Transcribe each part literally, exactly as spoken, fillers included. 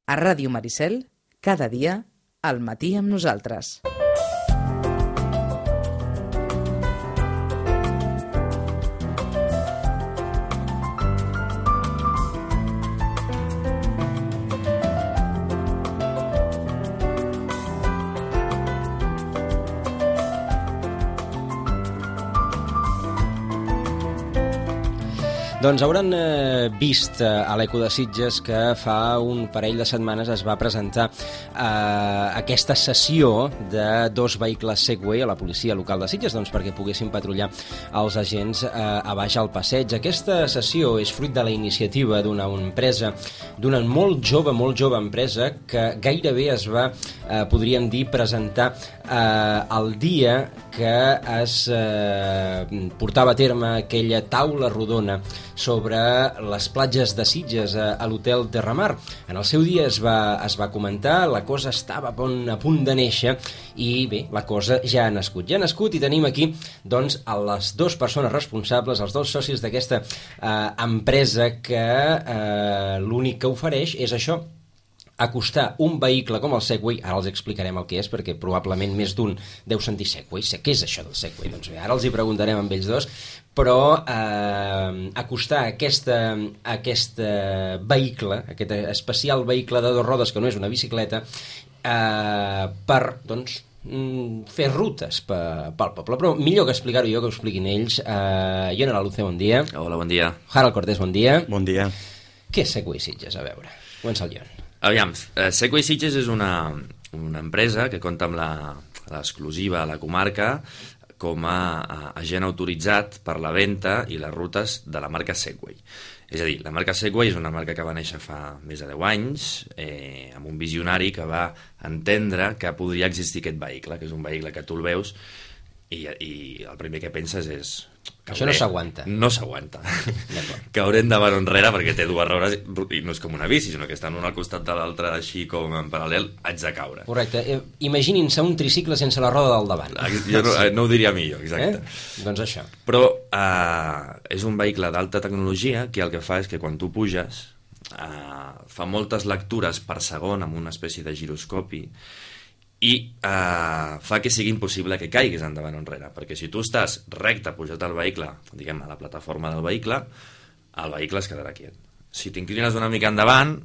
A Ràdio Maricel, cada dia, al matí amb nosaltres. Doncs hauran eh, vist eh, a l'Eco de Sitges que fa un parell de setmanes es va presentar eh, aquesta sessió de dos vehicles Segway a la policia local de Sitges, doncs perquè poguessin patrullar els agents eh, a baix al passeig. Aquesta sessió és fruit de la iniciativa d'una empresa, d'una molt jove, molt jove empresa que gairebé es va, eh, podríem dir, presentar eh, el dia que es eh, portava a terme aquella taula rodona sobre les platges de Sitges a, a l'hotel Terramar. En el seu dia es va, es va comentar, la cosa estava a punt, a punt de néixer i bé, la cosa ja ha nascut. Ja ha nascut i tenim aquí doncs a les dues persones responsables, els dos socis d'aquesta eh, empresa que eh, l'únic que ofereix és això, acostar un vehicle com el Segway, ara els explicarem el que és, perquè probablement més d'un deu sentir Segway, què és això del Segway? Doncs bé, ara els hi preguntarem amb ells dos, però eh, acostar aquesta, aquest vehicle, aquest especial vehicle de dues rodes que no és una bicicleta, eh, per, doncs, fer rutes pel poble, però millor que explicar-ho jo que ho expliquin ells. eh, Ione Laluce, bon dia. Hola, bon dia. Harald Cortés, bon dia. Bon dia. Què és Segway Sitges? A veure, comença el Ione. Aviam, eh, Segway Sitges és una, una empresa que compta amb l'exclusiva a la comarca com a, a agent autoritzat per la venda i les rutes de la marca Segway. És a dir, la marca Segway és una marca que va néixer fa més de deu anys, eh, amb un visionari que va entendre que podria existir aquest vehicle, que és un vehicle que tu el veus i, i el primer que penses és... Això no s'aguanta. No s'aguanta. Caurem davant o enrere perquè té dues rodes i no és com una bici, sinó que estan un al costat de l'altre així com en paral·lel, haig de caure. Correcte. Imaginin-se un tricicle sense la roda del davant. Jo no, no ho diria millor, exacte. Eh? Doncs això. Però eh, és un vehicle d'alta tecnologia que el que fa és que quan tu puges eh, fa moltes lectures per segon amb una espècie de giroscopi i eh, fa que sigui impossible que caiguis endavant o enrere, perquè si tu estàs recte pujat al vehicle, diguem a la plataforma del vehicle, el vehicle es quedarà quiet. Si t'inclines una mica endavant,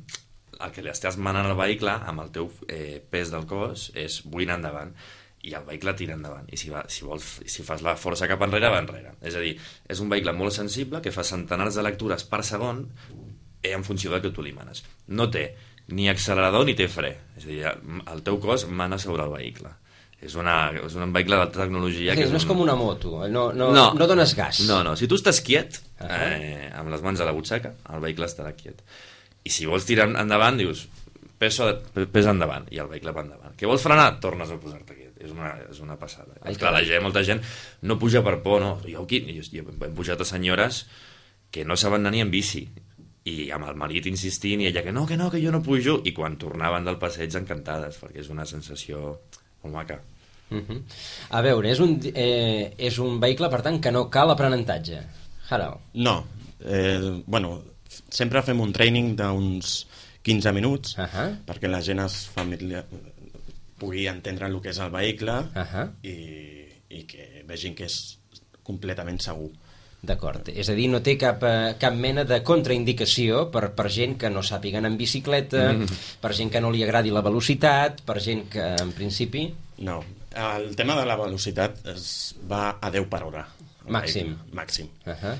el que li estàs manant al vehicle amb el teu eh, pes del cos és buina endavant i el vehicle tira endavant i si, va, si, vols, si fas la força cap enrere va enrere. És a dir, és un vehicle molt sensible que fa centenars de lectures per segon eh, en funció del que tu li manes. No té ni accelerador ni té fre, és a dir, el teu cos mana sobre el vehicle. És, una, és un vehicle d'alta tecnologia. Sí, que és no és un... com una moto, no, no, no, no dones gas. No, no, si tu estàs quiet, uh -huh. eh, amb les mans a la butxaca, el vehicle estarà quiet. I si vols tirar endavant, dius, pesa, pesa endavant, i el vehicle va endavant. Que vols frenar? Tornes a posar-te quiet. És una, és una passada. Ai, clar, la gent, molta gent no puja per por, no. Jo, aquí, jo, jo hem pujat a senyores que no saben anar ni en bici, i amb el marit insistint i ella que no, que no, que jo no pujo, i quan tornaven del passeig encantades, perquè és una sensació molt maca. Uh -huh. A veure, és un, eh, és un vehicle, per tant, que no cal aprenentatge. Harald. No, eh, bueno, sempre fem un training d'uns quinze minuts uh -huh. perquè la gent es familiar... pugui entendre el que és el vehicle uh -huh. i, i que vegin que és completament segur. D'acord, és a dir, no té cap, eh, cap mena de contraindicació per, per gent que no sàpiga anar en bicicleta, mm. per gent que no li agradi la velocitat, per gent que, en principi... No, el tema de la velocitat es va a deu per hora. Màxim. Màxim. Uh -huh.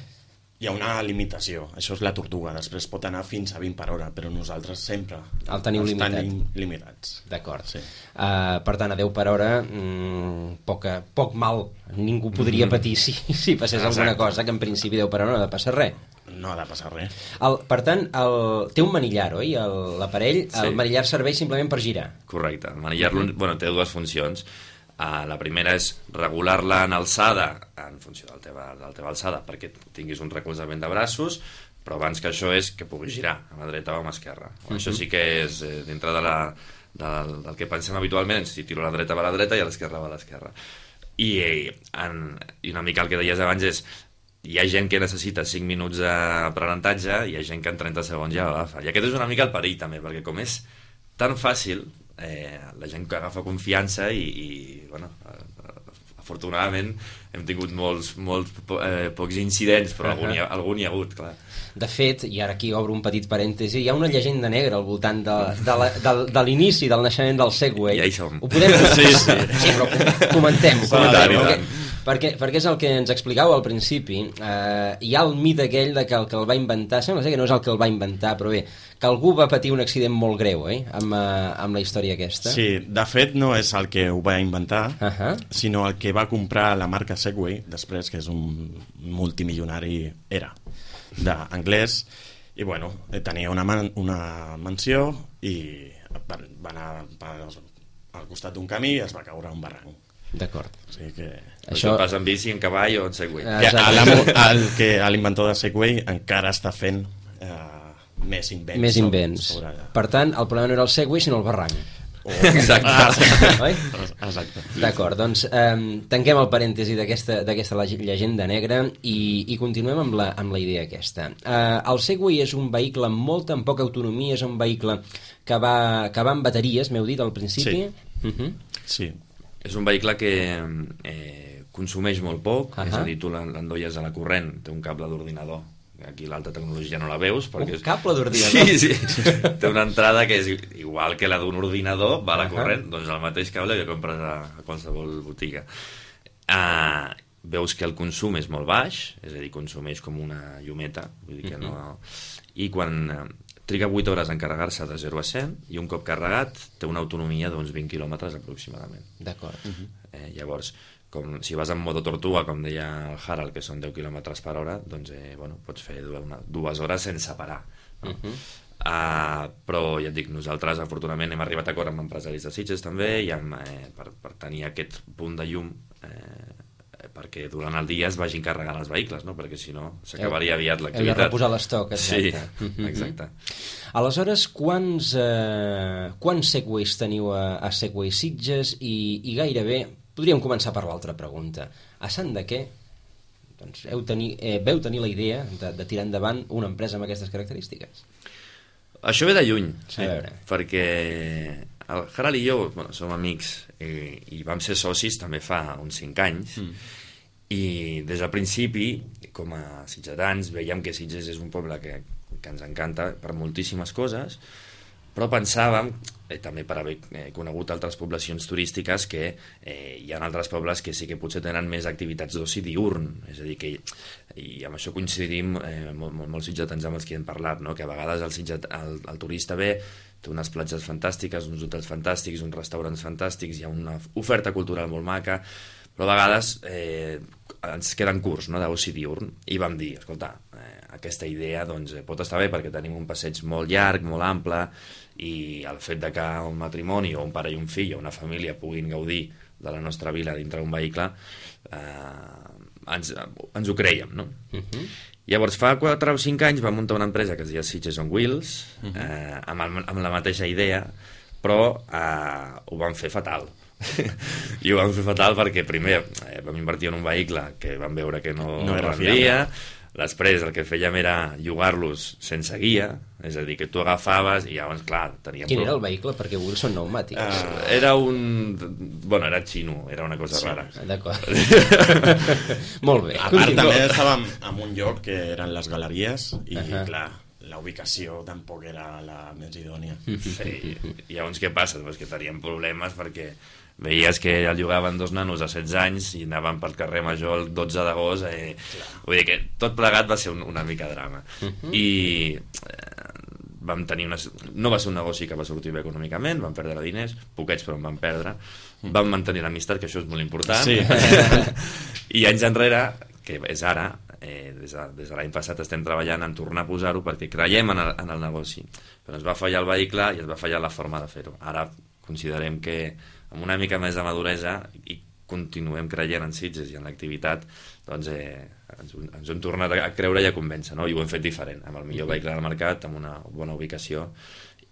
Hi ha una limitació, això és la tortuga, després pot anar fins a vint per hora, però nosaltres sempre el teniu limitat. Tenim limitats. D'acord. Sí. Uh, per tant, a deu per hora, mm, poca, poc mal, ningú podria patir si, si passés Exacte. alguna cosa, que en principi deu per hora no ha de passar res. No ha de passar res. El, per tant, el, té un manillar, oi? L'aparell, sí. El manillar serveix simplement per girar. Correcte. El manillar uh-huh. bueno, té dues funcions. Uh, la primera és regular-la en alçada en funció de la teva, de la teva alçada perquè tinguis un recolzament de braços, però abans que això és que puguis girar a la dreta o a l'esquerra. Uh-huh. Això sí que és eh, dintre de la, del, del que pensem habitualment, si tiro a la dreta va a la dreta i a l'esquerra va a l'esquerra. I, en, I una mica el que deies abans és hi ha gent que necessita cinc minuts d'aprenentatge i hi ha gent que en trenta segons ja ho agafa. I aquest és una mica el perill també, perquè com és tan fàcil, eh, la gent que agafa confiança i, i bueno, afortunadament hem tingut molts, molts eh, pocs incidents, però algun hi, ha, algun hi ha hagut, clar. De fet, i ara aquí obro un petit parèntesi, hi ha una llegenda negra al voltant de, de, la, de, de l'inici del naixement del Segway. Ja hi som. Ho podem... Sí, sí. Sí, però comentem-ho. Comentem, perquè, perquè, perquè és el que ens explicàveu al principi. Eh, hi ha el mite aquell de que el que el va inventar, sembla ser que no és el que el va inventar, però bé, que algú va patir un accident molt greu, eh, amb, uh, amb la història aquesta. Sí, de fet no és el que ho va inventar, uh -huh. sinó el que va comprar la marca Segway, després, que és un multimilionari, era, d'anglès, i bueno, tenia una, man una mansió i va, va anar al costat d'un camí i es va caure a un barranc. D'acord. O sigui que... Això pas en bici, en cavall o en Segway. L'inventor de Segway encara està fent eh, més invents. Més invents. Sobre... Per tant, el problema no era el Segway, sinó el barranc. Oh. Exacte. Ah, oi? Exacte. D'acord, doncs eh, tanquem el parèntesi d'aquesta llegenda negra i, i continuem amb la, amb la idea aquesta. Eh, el Segway és un vehicle amb molta, amb poca autonomia, és un vehicle que va, que va amb bateries, m'heu dit al principi? Sí. Uh -huh. Sí. És un vehicle que eh, consumeix molt poc, uh -huh. és a dir, tu l'endolles a la corrent, té un cable d'ordinador. Aquí l'alta tecnologia no la veus perquè un cable d'ordinador? Sí, sí, té una entrada que és igual que la d'un ordinador, va a la corrent, doncs el mateix cable que compres a, a qualsevol botiga. Uh, veus que el consum és molt baix, és a dir, consumeix com una llumeta, vull dir que no... I quan uh, triga vuit hores en carregar-se de zero a cent i un cop carregat té una autonomia d'uns vint quilòmetres aproximadament. D'acord. Uh -huh. eh, llavors, com si vas en modo tortuga, com deia el Harald, que són deu quilòmetres per hora, doncs eh, bueno, pots fer una, dues hores sense parar. No? Uh -huh. uh, però ja et dic, nosaltres afortunadament hem arribat a acord amb empresaris de Sitges també i amb, eh, per, per tenir aquest punt de llum eh, perquè durant el dia es vagin carregant els vehicles, no? Perquè si no s'acabaria aviat l'activitat. Heu de reposar l'estoc, exacte. Sí, exacte. Aleshores, quants, eh, quants Segways teniu a, a Segway Sitges i, i gairebé podríem començar per l'altra pregunta. A sant de què doncs, heu tenir, eh, veu tenir la idea de, de tirar endavant una empresa amb aquestes característiques? Això ve de lluny, sí, perquè el Harald i jo bueno, som amics i, i vam ser socis també fa uns cinc anys mm. i des del principi, com a sitgetans, veiem que Sitges és un poble que, que ens encanta per moltíssimes coses, però pensàvem, eh, també per haver eh, conegut altres poblacions turístiques, que eh, hi ha altres pobles que sí que potser tenen més activitats d'oci diurn, és a dir, que i amb això coincidim eh, molt, molt, molts sitgetans amb els que hem parlat, no? Que a vegades el, sitget, el, el turista ve, té unes platges fantàstiques, uns hotels fantàstics, uns restaurants fantàstics, hi ha una oferta cultural molt maca, però a vegades eh, ens queden curts, no?, d'oci diurn, i vam dir, escolta, eh, aquesta idea doncs, eh, pot estar bé perquè tenim un passeig molt llarg, molt ample, i el fet de que un matrimoni o un pare i un fill o una família puguin gaudir de la nostra vila dintre d'un vehicle eh, ens, ens ho creiem, no? Uh-huh. Llavors fa quatre o cinc anys vam muntar una empresa que es deia Sitges on Wheels, uh-huh. eh, amb, el, amb la mateixa idea, però eh, ho vam fer fatal. I ho vam fer fatal perquè primer eh, vam invertir en un vehicle que vam veure que no, no era rendia. Després el que fèiem era llogar-los sense guia, és a dir, que tu agafaves i llavors, clar, teníem... Quin era el vehicle? Perquè avui són pneumàtics. Uh, era un... Bueno, era xino, era una cosa sí. rara. D'acord. Molt bé. A part, també estàvem en un lloc que eren les galeries i, uh -huh. clar, la ubicació tampoc era la més idònia. Sí, i llavors què passa? Pues que teníem problemes perquè veies que el llogaven dos nanos a setze anys i anaven pel carrer Major el dotze d'agost, eh, vull dir que tot plegat va ser un, una mica drama. Uh-huh. I eh, vam tenir una... no va ser un negoci que va sortir bé econòmicament, vam perdre diners, poquets però en vam perdre, vam mantenir l'amistat, que això és molt important, sí. I anys enrere, que és ara, eh, des de, des de l'any passat estem treballant en tornar a posar-ho perquè creiem en el, en el negoci, però ens va fallar el vehicle i ens va fallar la forma de fer-ho. Ara considerem que amb una mica més de maduresa i continuem creient en Sitges i en l'activitat, doncs eh, ens, ens hem tornat a creure i a convèncer, no? I ho hem fet diferent, amb el millor vehicle del mercat, amb una bona ubicació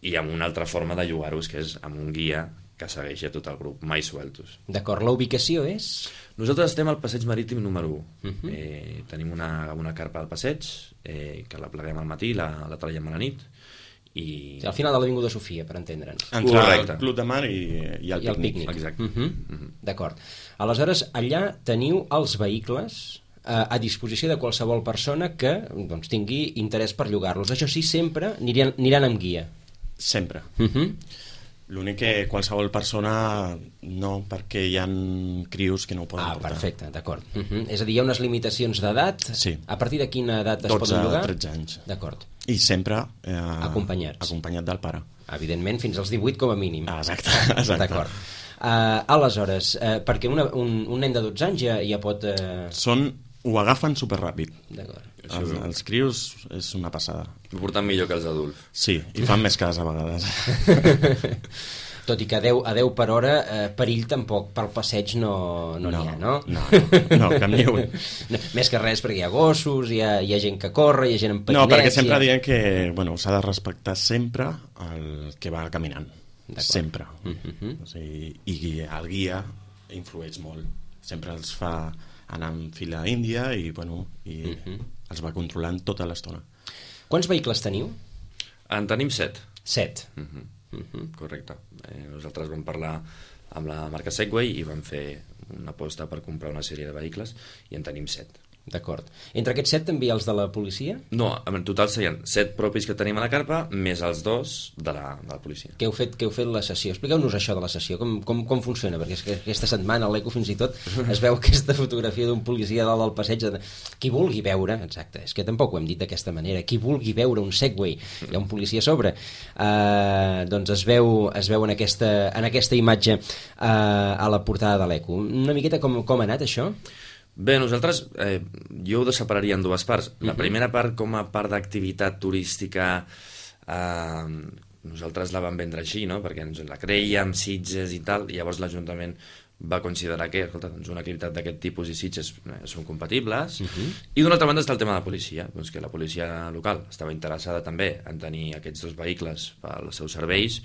i amb una altra forma de llogar-los, que és amb un guia que segueix a tot el grup, mai sueltos. D'acord, la ubicació és? Nosaltres estem al passeig marítim número u. Uh-huh. eh, tenim una, una carpa al passeig, eh, que la pleguem al matí, la, la traiem a la nit, i... Al final de l'Avinguda Sofia, per entendre'ns. Entre Correcte. el Club de Mar i, i el I el pícnic. pícnic. Exacte. Uh -huh. Uh -huh. D'acord. Aleshores, allà teniu els vehicles eh, a disposició de qualsevol persona que doncs, tingui interès per llogar-los. Això sí, sempre aniran, aniran amb guia. Sempre. Uh -huh. L'únic que qualsevol persona no, perquè hi ha crios que no ho poden Ah, portar. perfecte, d'acord. Uh -huh. És a dir, hi ha unes limitacions d'edat? Sí. A partir de quina edat es dotze poden llogar? a tretze anys. D'acord. I sempre eh, Acompanyats. acompanyat del pare. Evidentment, fins als divuit com a mínim. Ah, exacte, exacte. D'acord. Uh, aleshores, uh, perquè una, un, un nen de dotze anys ja, ja pot... Uh... Són, ho agafen superràpid. D'acord. Els, els crios és una passada. Ho porten millor que els adults. Sí, i fan més cas a vegades. Tot i que a deu, a deu per hora, eh, perill tampoc pel passeig no n'hi no, ha, no? No, no, cap ni un. No, més que res perquè hi ha gossos, hi ha, hi ha gent que corre, hi ha gent amb No, patinets... perquè sempre ha... diem que bueno, s'ha de respectar sempre el que va caminant. Sempre. Uh -huh. O sigui, i el guia influeix molt. Sempre els fa anar en fila índia i, bueno, i uh -huh. els va controlant tota l'estona. Quants vehicles teniu? En tenim set. Set. Uh -huh. Uh -huh. Correcte. Eh, nosaltres vam parlar amb la marca Segway i vam fer una aposta per comprar una sèrie de vehicles i en tenim set. D'acord. Entre aquests set també els de la policia? No, en total serien set propis que tenim a la carpa més els dos de la, de la policia. Que heu fet, que heu fet la sessió. Expliqueu-nos això de la sessió, com, com, com funciona, perquè és que aquesta setmana a l'Eco fins i tot es veu aquesta fotografia d'un policia dalt del passeig. De... Qui vulgui veure, exacte, és que tampoc ho hem dit d'aquesta manera, qui vulgui veure un Segway, hi ha un policia a sobre, eh, doncs es veu, es veu en, aquesta, en aquesta imatge eh, a la portada de l'Eco. Una miqueta com, com ha anat això? Bé, nosaltres, eh, jo ho separaria en dues parts. La primera part, com a part d'activitat turística, eh, nosaltres la vam vendre així, no? Perquè ens la creiem, Sitges i tal, i llavors l'Ajuntament va considerar que, escolta, doncs una activitat d'aquest tipus i Sitges eh, són compatibles. Uh-huh. I d'una altra banda està el tema de la policia, doncs que la policia local estava interessada també en tenir aquests dos vehicles pels seus serveis.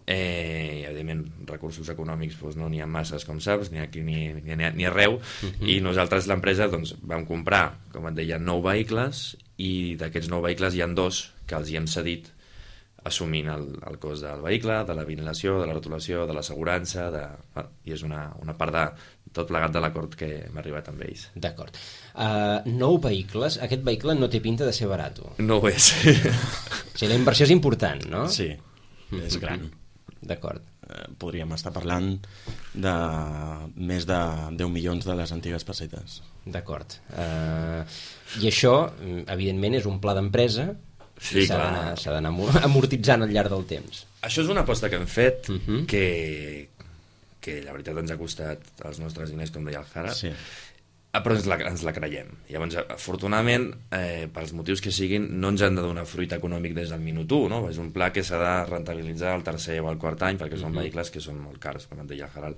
Eh, i evidentment recursos econòmics doncs, no n'hi ha masses, com saps, ni aquí ni, ni, ni arreu, uh-huh. I nosaltres l'empresa doncs, vam comprar, com et deia, nou vehicles, i d'aquests nou vehicles hi ha dos que els hi hem cedit assumint el, el cost del vehicle, de la vinil·lació, de la rotulació, de l'assegurança, de... bueno, i és una, una part de tot plegat de l'acord que hem arribat amb ells. D'acord. Uh, nou vehicles, aquest vehicle no té pinta de ser barat. No ho és. O sigui, la inversió és important, no? Sí, és gran. D'acord. Eh, podríem estar parlant de més de deu milions de les antigues pessetes. D'acord. Uh, I això, evidentment, és un pla d'empresa. Sí, s'ha clar. d'anar, s'ha d'anar amortitzant al llarg del temps. Això és una aposta que hem fet, Uh -huh. que, que la veritat ens ha costat els nostres diners, com deia el Jara, Sí. però ens la, ens la creiem. Llavors, afortunadament, eh, pels motius que siguin, no ens han de donar fruit econòmic des del minut u, no? És un pla que s'ha de rentabilitzar al tercer o al quart any, perquè són uh -huh. vehicles que són molt cars, com et deia el Gerald.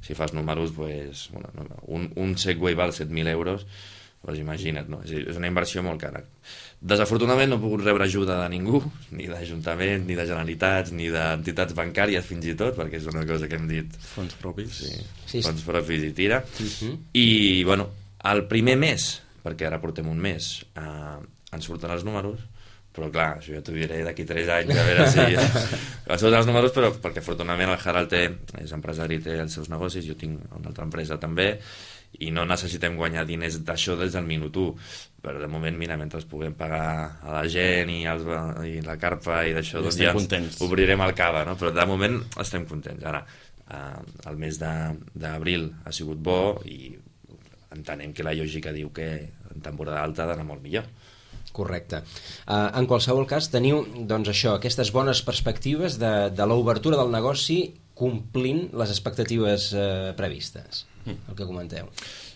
Si fas números, pues, bueno, no, un, un Segway val set mil euros, doncs imagina't, no? És, és una inversió molt cara. Desafortunadament no he pogut rebre ajuda de ningú, ni d'Ajuntament, ni de Generalitats, ni d'entitats bancàries fins i tot, perquè és una cosa que hem dit. Fons propis. Sí, Sí, sí. fons propis i tira. Uh -huh. I, bueno, el primer mes, perquè ara portem un mes, eh, ens surten els números, però clar, això ja t'ho diré d'aquí tres anys, a veure si... ens surten els números, però perquè afortunadament el Harald té, és empresari, té els seus negocis, jo tinc una altra empresa també, i no necessitem guanyar diners d'això des del minut u, però de moment, mira, mentre puguem pagar a la gent i, els, i la carpa i d'això, doncs ja contents. obrirem el cava, no? Però de moment estem contents. Ara, eh, el mes d'abril ha sigut bo i entenem que la lògica diu que en temporada alta ha d'anar molt millor. Correcte. Uh, en qualsevol cas, teniu doncs, això, aquestes bones perspectives de, de l'obertura del negoci complint les expectatives uh, previstes, el que comenteu.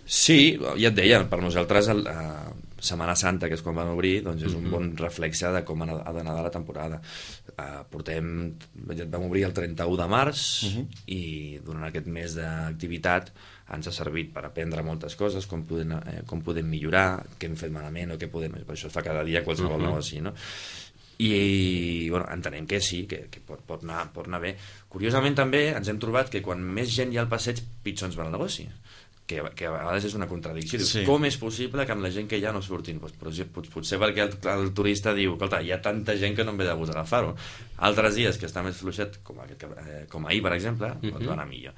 Sí, ja et deia, per nosaltres el, uh, Setmana Santa, que és quan van obrir, doncs és un bon reflexe de com ha d'anar la temporada. Uh, portem, vam obrir el trenta-u de març uh -huh. i durant aquest mes d'activitat ens ha servit per aprendre moltes coses, com podem, eh, com podem millorar, què hem fet malament o què podem... Per això es fa cada dia qualsevol uh -huh. negoci, no? I bueno, entenem que sí, que, que pot, pot, anar, pot anar bé. Curiosament també ens hem trobat que quan més gent hi ha al passeig, pitjor ens va el negoci. que, que a vegades és una contradicció. Dius, Sí. com és possible que amb la gent que hi ha no surtin? Pues, però, pot, potser perquè el, el turista diu, escolta, hi ha tanta gent que no em ve de gust agafar-ho. Altres dies que està més fluixet, com, aquest, eh, com ahir, per exemple, uh-huh. pot anar millor.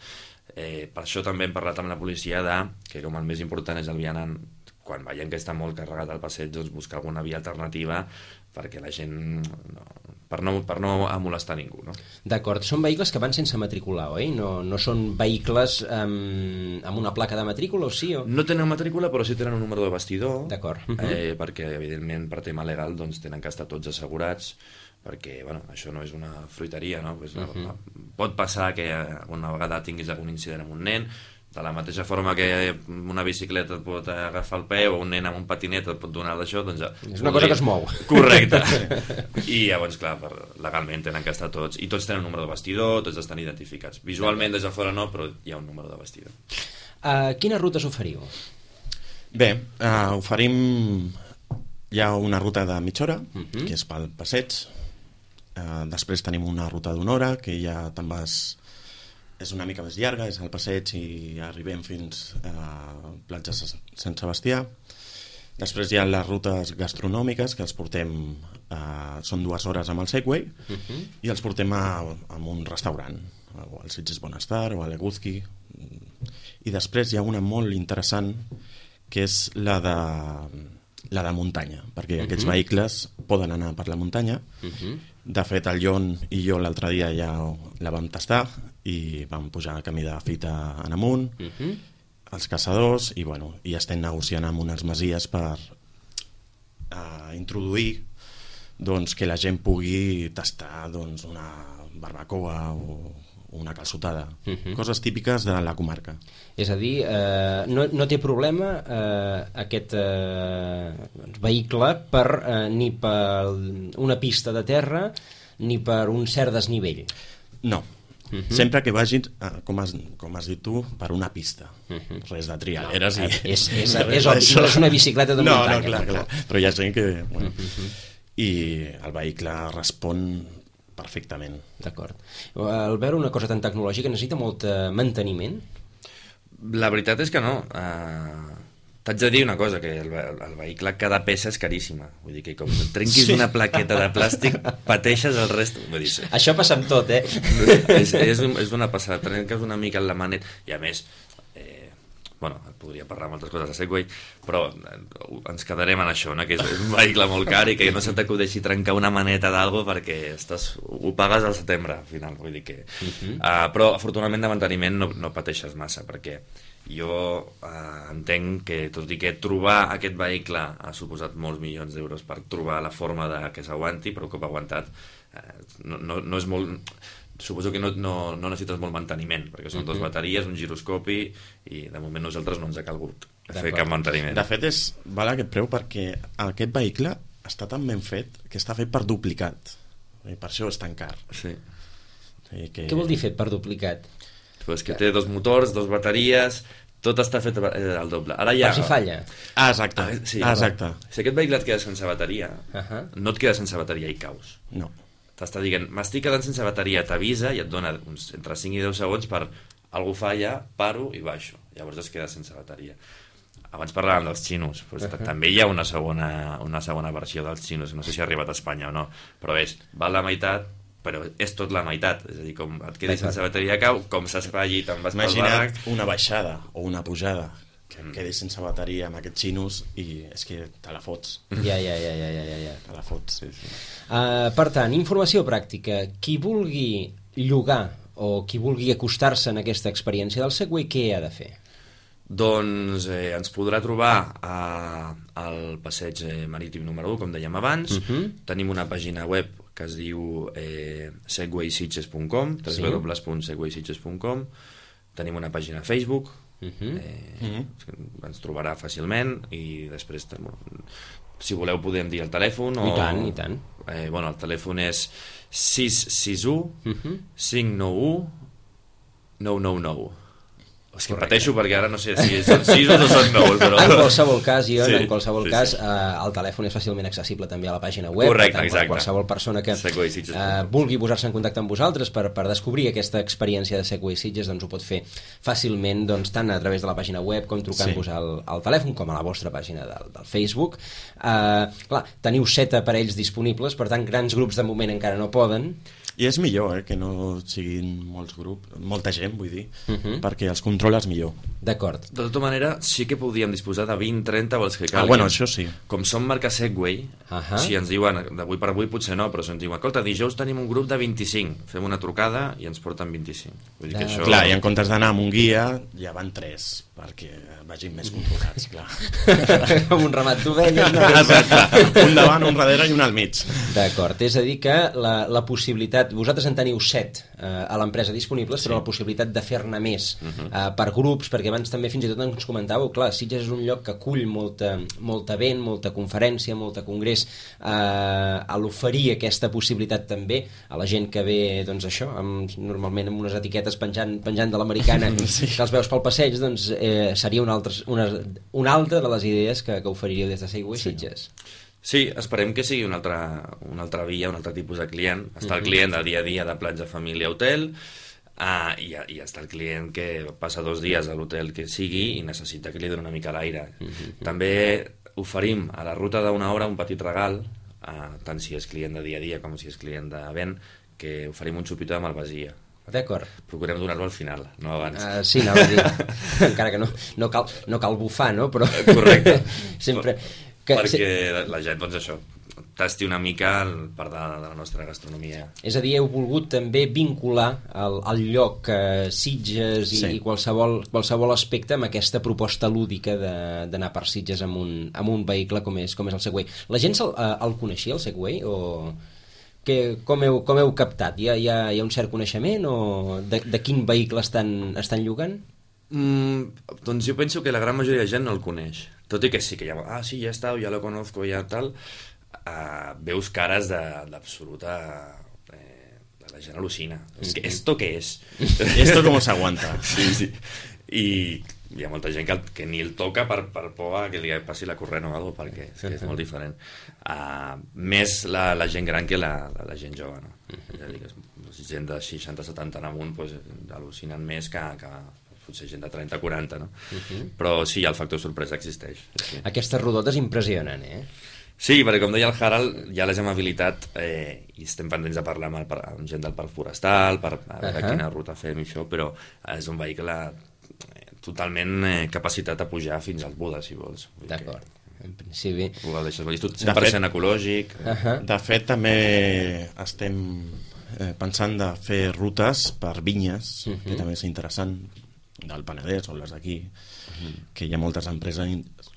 Eh, per això també hem parlat amb la policia de, que com el més important és el vianant, quan veiem que està molt carregat al passeig, doncs buscar alguna via alternativa perquè la gent no, per, no, per no molestar ningú, no? D'acord, són vehicles que van sense matricular, oi? No, no són vehicles amb, amb una placa de matrícula, o sí? O... No tenen matrícula, però sí tenen un número de bastidor. D'acord. Eh, perquè, evidentment, per tema legal, doncs, tenen que estar tots assegurats, perquè, bueno, això no és una fruiteria, no? Pues, uh -huh. Pot passar que una vegada tinguis algun incident amb un nen, de la mateixa forma que una bicicleta et pot agafar el peu o un nen amb un patinet et pot donar d'això, doncs ja... És una cosa que es mou. Correcte. I llavors, clar, per, legalment tenen que estar tots. I tots tenen un número de vestidor, tots estan identificats. Visualment des de fora no, però hi ha un número de vestidor. Uh, quines rutes oferiu? Bé, uh, oferim... Hi ha una ruta de mitja hora, uh -huh. que és pel passeig. Uh, després tenim una ruta d'una hora, que ja te'n vas... És una mica més llarga, és al passeig i arribem fins a platja Sant Sebastià. Després hi ha les rutes gastronòmiques, que els portem... Uh, són dues hores amb el Segway, uh -huh. i els portem a, a un restaurant, o al Sitges Bonestar, o a l'Eguzki. I després hi ha una molt interessant, que és la de... la de muntanya, perquè uh -huh. aquests vehicles poden anar per la muntanya. Uh -huh. De fet, el Jon i jo l'altre dia ja la vam tastar i vam pujar a camí de fita en amunt, uh -huh. els caçadors, i bueno, i estem negociant amb unes masies per uh, introduir doncs, que la gent pugui tastar doncs, una barbacoa o una calçotada, uh -huh. coses típiques de la comarca. És a dir, eh, no, no té problema eh, aquest eh, vehicle per, eh, ni per una pista de terra ni per un cert desnivell? No. Uh -huh. Sempre que vagin, com has, com has dit tu, per una pista. Uh -huh. Res de trialeres. No, i... és, és, és, és obvi, no és una bicicleta de no, muntanya. No, clar, clar. Però hi ha gent que... Bueno, uh -huh. I el vehicle respon perfectament. D'acord. Al veure una cosa tan tecnològica necessita molt manteniment? La veritat és que no. Uh, T'haig de dir una cosa, que el, el vehicle, cada peça és caríssima. Vull dir que com trenquis sí. una plaqueta de plàstic, pateixes el rest. Vull dir, sí. Això passa amb tot, eh? és, és, és una passada. Trenques una mica en la manet. I a més, eh, bueno, podria parlar amb altres coses de Segway, però ens quedarem en això, no? Que és, és un vehicle molt car i que no se t'acudeixi trencar una maneta d'algo perquè estàs, ho pagues al setembre, al final. Vull dir que... Uh-huh. uh, però, afortunadament, de manteniment no, no pateixes massa, perquè jo eh, entenc que, tot i que trobar aquest vehicle ha suposat molts milions d'euros per trobar la forma de que s'aguanti, però un cop aguantat eh, no, no, no és molt... Suposo que no, no, no necessites molt manteniment, perquè són uh-huh. dos bateries, un giroscopi, i de moment nosaltres no ens ha calgut fer cap manteniment. De fet, és, val aquest preu perquè aquest vehicle està tan ben fet que està fet per duplicat, i per això és tan car. Sí. Que... Què vol dir fet per duplicat? Pues que té dos motors, dos bateries, tot està fet al doble. Ara ja... Per si falla. Ah, exacte. Ah, sí, ah, exacte. Si aquest vehicle et queda sense bateria, uh-huh. no et queda sense bateria i caus. No. T'està dient, m'estic quedant sense bateria, t'avisa i et dona uns, entre cinc i deu segons per algú falla, paro i baixo. Llavors es queda sense bateria. Abans parlàvem dels xinos, doncs uh-huh. també hi ha una segona, una segona versió dels xinos, no sé si ha arribat a Espanya o no, però és, val la meitat, però és tot la meitat, és a dir, com et quedis sense bateria cau, com s'espatlli te'n vas pel barranc. Imagina't una baixada o una pujada que et quedis sense bateria amb aquests xinos i és que te la fots. Ja, ja, ja, ja, ja, ja. Te la fots, sí, sí. Uh, per tant, informació pràctica. Qui vulgui llogar o qui vulgui acostar-se en aquesta experiència del Segway, què ha de fer? Doncs eh, ens podrà trobar a, al passeig marítim número u, com dèiem abans. Uh-huh. Tenim una pàgina web que es diu eh, segway sitges punt com, w w w punt segway sitges punt com. Tenim una pàgina a Facebook, uh-huh. eh, uh-huh. ens trobarà fàcilment, i després, si voleu, podem dir el telèfon. I tant, i tant. Eh, bueno, el telèfon és sis sis u, cinc nou u, nou nou nou. És que pateixo perquè ara no sé si són sis o no són nou, però... En qualsevol cas, Ion, sí, en qualsevol sí, cas, sí. Eh, el telèfon és fàcilment accessible també a la pàgina web. Correcte, tant, exacte. Qualsevol persona que Segway Sitges. eh, vulgui posar-se en contacte amb vosaltres per, per descobrir aquesta experiència de Segway Sitges, doncs ho pot fer fàcilment, doncs, tant a través de la pàgina web com trucant-vos sí. al, al telèfon, com a la vostra pàgina del, del Facebook. Eh, clar, teniu set aparells disponibles, per tant, grans grups de moment encara no poden. I és millor, eh, que no siguin molts grups, molta gent, vull dir, Uh -huh. perquè els controles millor. D'acord. De tota manera, sí que podíem disposar de vint trenta o els que calguin. Ah, bueno, això sí. Com som marca Segway, Uh -huh. si ens diuen, d'avui per avui potser no, però si ens diuen, escolta, dijous tenim un grup de vint-i-cinc, fem una trucada i ens porten vint-i-cinc. Vull dir que De... això... Clar, i en comptes d'anar amb un guia, ja van tres, perquè vagin més controlats, clar. Com un ramat d'ovelles, no? Exacte, un davant, un darrere i un al mig. D'acord, és a dir que la, la possibilitat, vosaltres en teniu set eh, a l'empresa disponibles, sí. però la possibilitat de fer-ne més uh -huh. eh, per grups, perquè abans també fins i tot ens comentàveu, clar, Sitges és un lloc que acull molta, molta event, molta conferència, molta congrés, eh, a l'oferir aquesta possibilitat també a la gent que ve, doncs això, amb, normalment amb unes etiquetes penjant, penjant de l'americana, sí. que els veus pel passeig, doncs eh, seria una altra, una, una altra de les idees que, que oferiríeu des de Segway sí. Sitges. Sí, esperem que sigui una altra, una altra via, un altre tipus de client. Està el client de dia a dia de platja, família, hotel, uh, i, i està el client que passa dos dies a l'hotel que sigui i necessita que li doni una mica l'aire. Uh -huh. També oferim a la ruta d'una hora un petit regal, uh, tant si és client de dia a dia com si és client d'event, que oferim un xupito de malvasia. D'acord. Procurem donar-lo al final, no abans. Uh, sí, anava a dir, encara que no, no, cal, no cal bufar, no? Però correcte. sempre... Que, perquè sí. la, la gent, doncs això, tasti una mica el part de, de la nostra gastronomia. És a dir, heu volgut també vincular el, el lloc eh, Sitges i, sí. i qualsevol, qualsevol aspecte amb aquesta proposta lúdica d'anar per Sitges amb un, amb un vehicle com és, com és el Segway. La gent el, el coneixia, el Segway, o... Que, com, heu, com heu captat? Hi ha, hi ha, hi ha un cert coneixement o de, de quin vehicle estan, estan llogant? Mm, doncs jo penso que la gran majoria de gent no el coneix, tot i que sí que ja, ah sí, ja està, ja lo conozco, ja tal, uh, veus cares d'absoluta eh, la gent al·lucina, és que esto què és? Esto com s'aguanta. Sí, sí, i hi ha molta gent que, que ni el toca per, per por a que li passi la corrent o alguna cosa, perquè és, que és molt diferent. Uh, més la, la gent gran que la, la, la gent jove, no? És a dir, que gent de seixanta setanta en amunt pues, al·lucinen més que, que potser gent de trenta quaranta, no? Uh-huh. Però sí, el factor sorpresa existeix. Sí. Aquestes rodotes impressionen, eh? Sí, perquè com deia el Harald, ja les hem habilitat eh, i estem pendents de parlar amb, el, amb gent del parc forestal, per a veure uh-huh. quina ruta fem i això, però és un vehicle totalment eh, capacitat a pujar fins als Budes, si vols. D'acord, en principi. Ho deixes cent per cent ecològic. Uh -huh. De fet, també estem eh, pensant de fer rutes per vinyes, uh -huh. que també és interessant, del Penedès o les d'aquí, uh -huh. que hi ha moltes empreses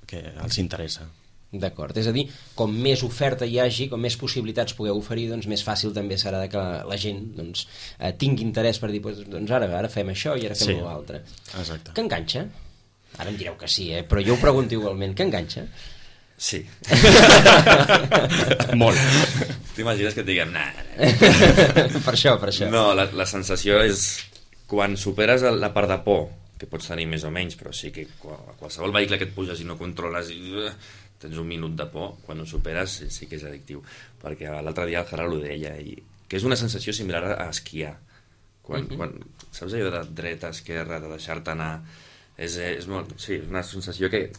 que els interessa. D'acord, és a dir, com més oferta hi hagi, com més possibilitats pugueu oferir, doncs més fàcil també serà que la gent doncs, eh, tingui interès per dir, doncs ara, ara fem això i ara fem sí, l'altre. Exacte. Que enganxa? Ara em direu que sí, eh? Però jo ho pregunto igualment, que enganxa? Sí. Molt. T'imagines que et diguem, nah, per això, per això. No, la, la sensació és quan superes la part de por, que pots tenir més o menys, però sí que qualsevol vehicle que et puges i no controles i uh, tens un minut de por, quan ho superes sí, sí que és addictiu, perquè l'altre dia el Gerard ho deia, i que és una sensació similar a esquiar, quan, uh -huh. quan saps allò de dreta, esquerra, de deixar-te anar, és, és, molt, sí, és una sensació que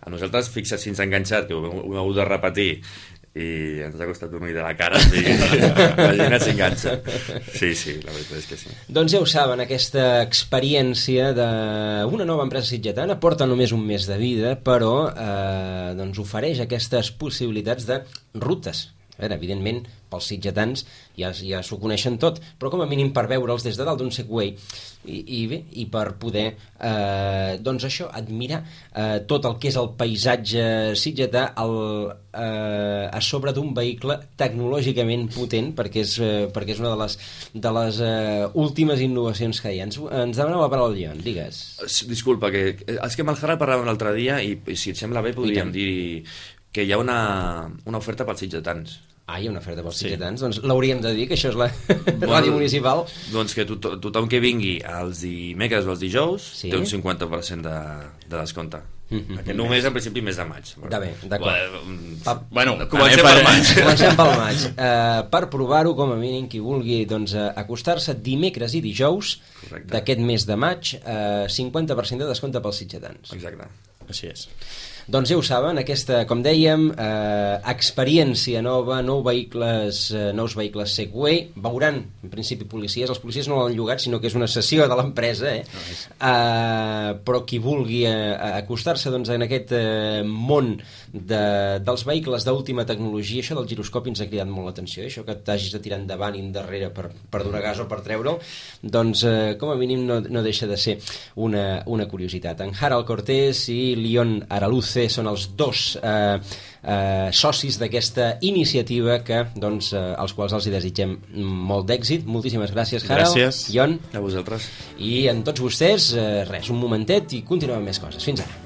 a nosaltres, fixa't si ens ha enganxat, que ho, ho hem hagut de repetir i ens ha costat un ull de la cara, i la gent s'enganxa. Sí, sí, la veritat és que sí. Doncs ja ho saben, aquesta experiència d'una nova empresa sitgetana porta només un mes de vida, però eh, doncs ofereix aquestes possibilitats de rutes. A veure, evidentment, pels sitgetans ja, ja s'ho coneixen tot, però com a mínim per veure'ls des de dalt d'un Segway i, i bé, i per poder eh, doncs això, admirar eh, tot el que és el paisatge sitgetà el, eh, a sobre d'un vehicle tecnològicament potent, perquè és, eh, perquè és una de les, de les eh, últimes innovacions que hi ha. Ens, ens demanava la paraula el Ion, digues. Disculpa, que és que amb el Gerard parlàvem l'altre dia i, i si et sembla bé podríem dir que hi ha una, una oferta pels sitgetans. Ah, hi ha una oferta pels Sí. sitgetans? Doncs l'hauríem de dir, que això és la ràdio municipal. Doncs que to tothom que vingui els dimecres o els dijous Sí. té un cinquanta per cent de, de descompte. Mhm. Només a principi mes de maig. De bé, d'acord. Bueno, Bueno, comencem també per- per maig. Comencem pel maig. Uh, per provar-ho, com a mínim, qui vulgui doncs, uh, acostar-se dimecres i dijous Correcte. d'aquest mes de maig, uh, cinquanta per cent de descompte pels sitgetans. Exacte. Així és. Doncs ja ho saben, aquesta, com dèiem, eh, experiència nova, nous vehicles, eh, nous vehicles Segway, veuran, en principi, policies, els policies no l'han llogat, sinó que és una sessió de l'empresa, eh? eh, però qui vulgui eh, acostar-se doncs, en aquest eh, món de, dels vehicles d'última tecnologia, això del giroscopi ens ha cridat molt l'atenció, eh? Això que t'hagis de tirar endavant i endarrere per, per donar gas o per treure'l, doncs eh, com a mínim no, no deixa de ser una, una curiositat. En Harold Cortés i Leon Araluce són els dos eh, eh, socis d'aquesta iniciativa que, doncs, eh, als quals els hi desitgem molt d'èxit. Moltíssimes gràcies, Harold. Gràcies. Ion. A vosaltres. I en tots vostès, eh, res, un momentet i continuem amb més coses. Fins ara.